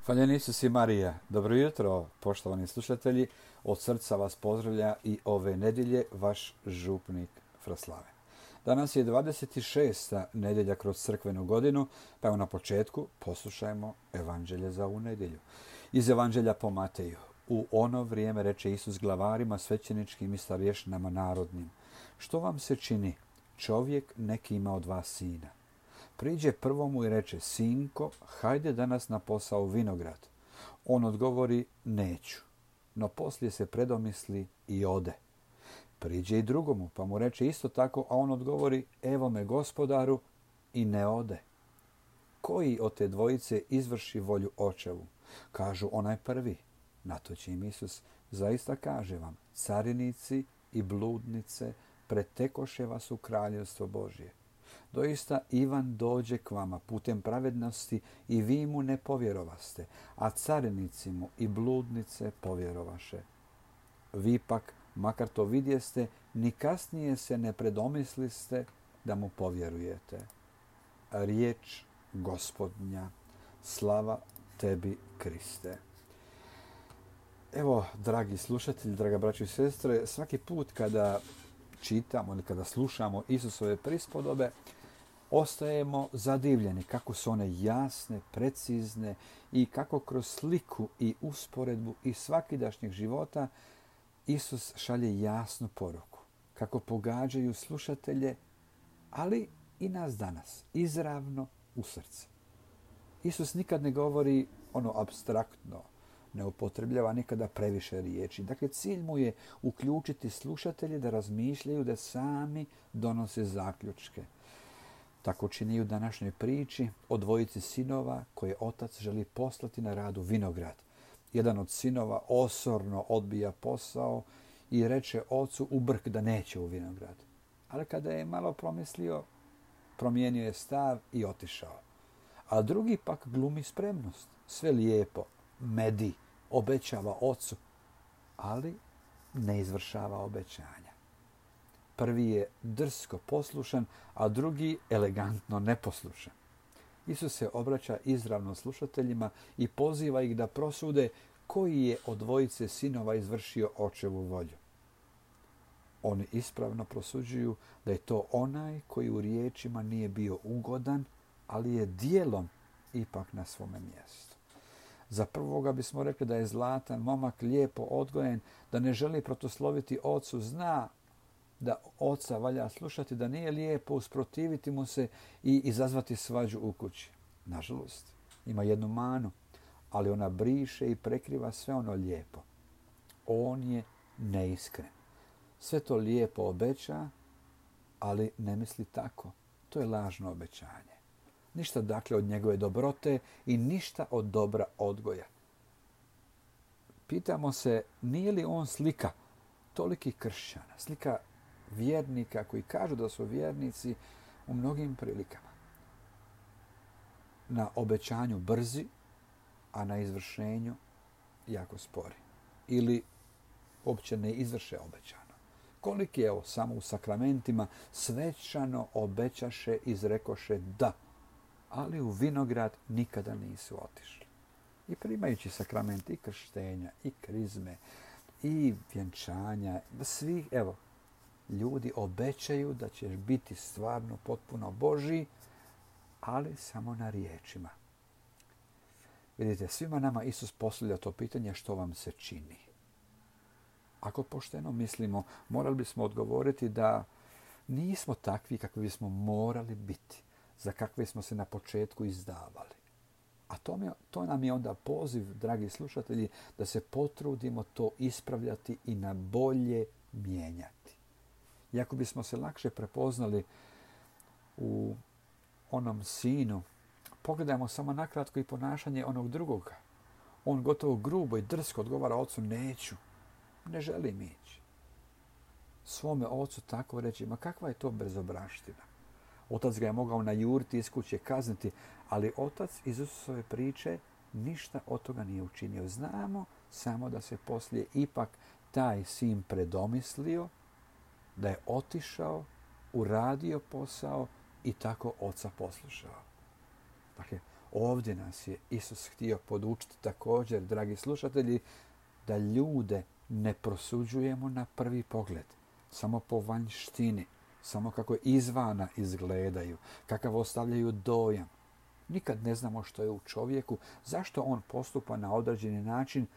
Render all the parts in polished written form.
Hvaljen Isus i Marija. Dobro jutro, poštovani slušatelji. Od srca vas pozdravlja i ove nedjelje vaš župnik Fraslave. Danas je 26. nedjelja kroz crkvenu godinu, pa evo na početku poslušajmo evanđelje za ovu nedjelju. Iz evanđelja po Mateju. U ono vrijeme reče Isus glavarima svećeničkim i starješnama narodnim: što vam se čini? Čovjek neki ima od vas sina. Priđe prvomu i reče: sinko, hajde danas na posao u vinograd. On odgovori: neću. No poslije se predomisli i ode. Priđe i drugomu, pa mu reče isto tako, a on odgovori: evo me, gospodaru, i ne ode. Koji od te dvojice izvrši volju očevu? Kažu: onaj prvi. Na to će im Isus: zaista kaže vam, carinici i bludnice pretekoše vas u kraljevstvo Božje. Doista Ivan dođe k vama putem pravednosti i vi mu ne povjerovaste, a carinici mu i bludnice povjerovaše. Vi pak, makar to vidjeste, ni kasnije se ne predomisliste da mu povjerujete. Riječ Gospodnja. Slava tebi, Kriste. Evo, dragi slušatelji, draga braćo i sestre, svaki put kada čitamo ili kada slušamo Isusove prispodobe, ostajemo zadivljeni kako su one jasne, precizne i kako kroz sliku i usporedbu iz svakidašnjeg života Isus šalje jasnu poruku. Kako pogađaju slušatelje, ali i nas danas, izravno u srce. Isus nikad ne govori ono apstraktno, ne upotrebljava nikada previše riječi. Dakle, cilj mu je uključiti slušatelje da razmišljaju, da sami donose zaključke. Tako čini i u današnjoj priči o dvojici sinova koje otac želi poslati na rad u vinograd. Jedan od sinova osorno odbija posao i reče ocu u brk da neće u vinograd. Ali kada je malo promislio, promijenio je stav i otišao. A drugi pak glumi spremnost. Sve lijepo, medi, obećava ocu, ali ne izvršava obećanja. Prvi je drsko poslušan, a drugi elegantno neposlušan. Isus se obraća izravno slušateljima i poziva ih da prosude koji je od dvojice sinova izvršio očevu volju. Oni ispravno prosuđuju da je to onaj koji u riječima nije bio ugodan, ali je dijelom ipak na svome mjestu. Za prvoga bismo rekli da je zlatan momak, lijepo odgojen, da ne želi protosloviti ocu, zna da oca valja slušati, da nije lijepo usprotiviti mu se i izazvati svađu u kući. Nažalost, ima jednu manu, ali ona briše i prekriva sve ono lijepo. On je neiskren. Sve to lijepo obeća, ali ne misli tako. To je lažno obećanje. Ništa dakle od njegove dobrote i ništa od dobra odgoja. Pitamo se, nije li on slika tolikih kršćana, slika vjernika koji kažu da su vjernici u mnogim prilikama. Na obećanju brzi, a na izvršenju jako spori. Ili uopće ne izvrše obećano. Koliki je samo u sakramentima svečano obećaše, izrekoše da, ali u vinograd nikada nisu otišli. I primajući sakrament i krštenja, i krizme, i vjenčanja, svi, evo, ljudi obećaju da ćeš biti stvarno potpuno Božji, ali samo na riječima. Vidite, svima nama Isus postavlja to pitanje: što vam se čini? Ako pošteno mislimo, morali bismo odgovoriti da nismo takvi kakvi bismo morali biti, za kakve smo se na početku izdavali. A to nam je onda poziv, dragi slušatelji, da se potrudimo to ispravljati i na bolje mijenjati. Iako bismo se lakše prepoznali u onom sinu, pogledajmo samo nakratko i ponašanje onog drugoga. On gotovo grubo i drsko odgovara ocu: neću, ne želim ići. Svome ocu tako reći: ma kakva je to bezobraština. Otac ga je mogao najuriti, iz kuće kazniti, ali otac iz Isusove priče ništa od toga nije učinio. Znamo samo da se poslije ipak taj sin predomislio, da je otišao, uradio posao i tako oca poslušao. Dakle, Ovdje nas je Isus htio podučiti također, dragi slušatelji, da ljude ne prosuđujemo na prvi pogled, samo po vanjštini, samo kako izvana izgledaju, kakav ostavljaju dojam. Nikad ne znamo što je u čovjeku, zašto on postupa na određeni način,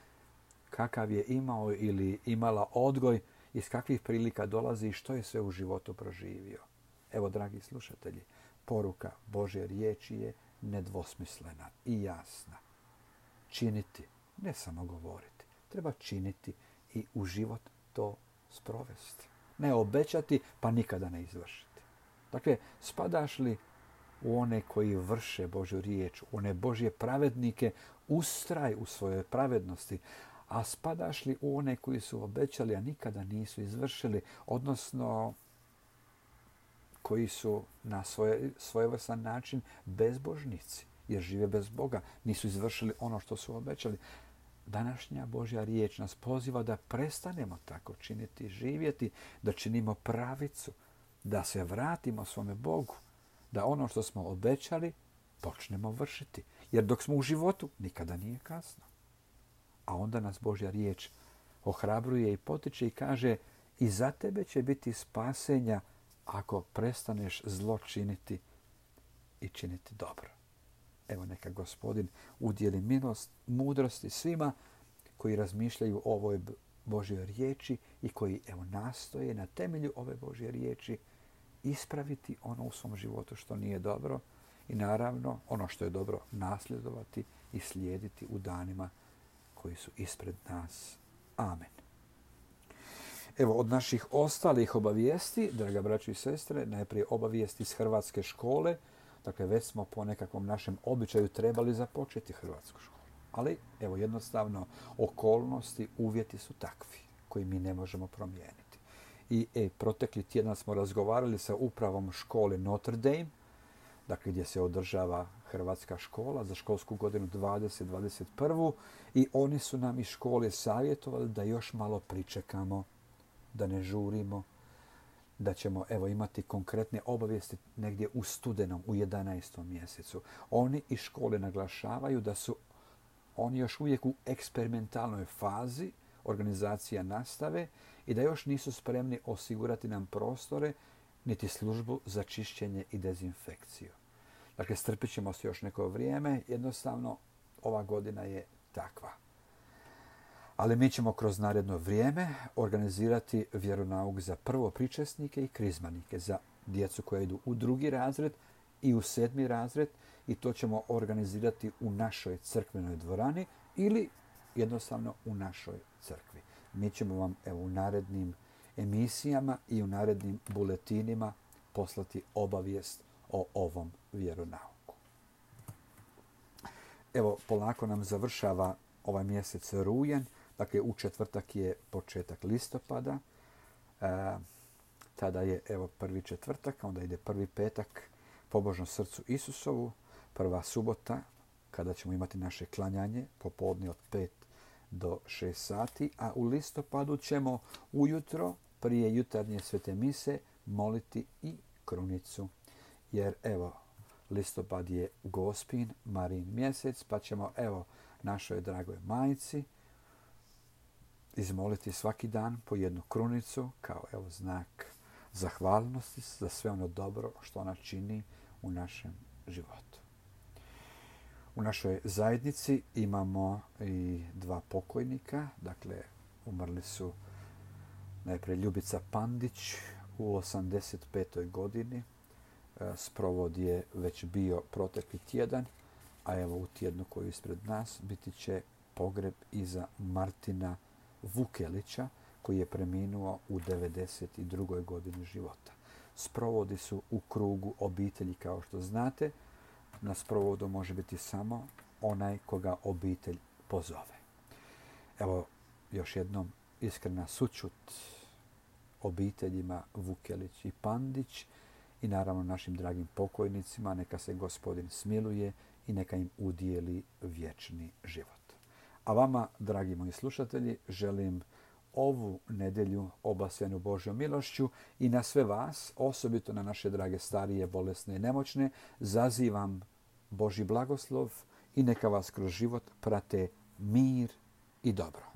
kakav je imao ili imala odgoj, iz kakvih prilika dolazi i što je sve u životu proživio. Evo, dragi slušatelji, poruka Božje riječi je nedvosmislena i jasna. Činiti, ne samo govoriti. Treba činiti i u život to sprovesti. Ne obećati, pa nikada ne izvršiti. Dakle, spadaš li u one koji vrše Božju riječ, u one Božje pravednike, ustraj u svojoj pravednosti, a spadaš li u one koji su obećali, a nikada nisu izvršili, odnosno koji su na svojevrstan način bezbožnici, jer žive bez Boga, nisu izvršili ono što su obećali. Današnja Božja riječ nas poziva da prestanemo tako činiti, živjeti, da činimo pravicu, da se vratimo svome Bogu, da ono što smo obećali počnemo vršiti. Jer dok smo u životu, nikada nije kasno. A onda nas Božja riječ ohrabruje i potiče i kaže i za tebe će biti spasenja ako prestaneš zlo činiti i činiti dobro. Evo neka Gospodin udjeli milost, mudrosti svima koji razmišljaju o ovoj Božjoj riječi i koji nastoje na temelju ove Božje riječi ispraviti ono u svom životu što nije dobro i naravno ono što je dobro nasljedovati i slijediti u danima koji su ispred nas. Amen. Evo, od naših ostalih obavijesti, draga braćo i sestre, najprije obavijesti iz hrvatske škole. Dakle, već smo po nekakvom našem običaju trebali započeti hrvatsku školu. Ali, evo, jednostavno, okolnosti, uvjeti su takvi koji mi ne možemo promijeniti. I protekli tjedan smo razgovarali sa upravom škole Notre Dame, dakle gdje se održava hrvatska škola za školsku godinu 2021. I oni su nam iz škole savjetovali da još malo pričekamo, da ne žurimo, da ćemo imati konkretne obavijesti negdje u studenom, u 11. mjesecu. Oni iz škole naglašavaju da su oni još uvijek u eksperimentalnoj fazi organizacija nastave i da još nisu spremni osigurati nam prostore niti službu za čišćenje i dezinfekciju. Dakle, strpit ćemo se još neko vrijeme. Jednostavno, ova godina je takva. Ali mi ćemo kroz naredno vrijeme organizirati vjeronauk za prvopričesnike i krizmanike, za djecu koja idu u 2. razred i u 7. razred i to ćemo organizirati u našoj crkvenoj dvorani ili jednostavno u našoj crkvi. Mi ćemo vam u narednim emisijama i u narednim buletinima poslati obavijest o ovom vjeronauku. Evo, polako nam završava ovaj mjesec rujan. Dakle, u četvrtak je početak listopada. Tada je prvi četvrtak, onda ide prvi petak pobožno srcu Isusovu, prva subota kada ćemo imati naše klanjanje popodne od 5 do 6 sati, a u listopadu ćemo ujutro prije jutarnje svete mise moliti i krunicu. Jer listopad je Gospin, Marijin mjesec, pa ćemo našoj dragoj majci izmoliti svaki dan po jednu krunicu kao znak zahvalnosti za sve ono dobro što ona čini u našem životu. U našoj zajednici imamo i 2 pokojnika. Dakle, umrli su najprije Ljubica Pandić u 85. godini. Sprovod je već bio protekli tjedan, a u tjednu koji je ispred nas biti će pogreb iza Martina Vukelića, koji je preminuo u 92. godini života. Sprovodi su u krugu obitelji, kao što znate. Na sprovodu može biti samo onaj koga obitelj pozove. Još jednom iskrena sućut obiteljima Vukelić i Pandić i naravno našim dragim pokojnicima. Neka se Gospodin smiluje i neka im udijeli vječni život. A vama, dragi moji slušatelji, želim ovu nedjelju obasjanu Božjom milošću i na sve vas, osobito na naše drage starije, bolesne i nemoćne, zazivam Božji blagoslov i neka vas kroz život prate mir i dobro.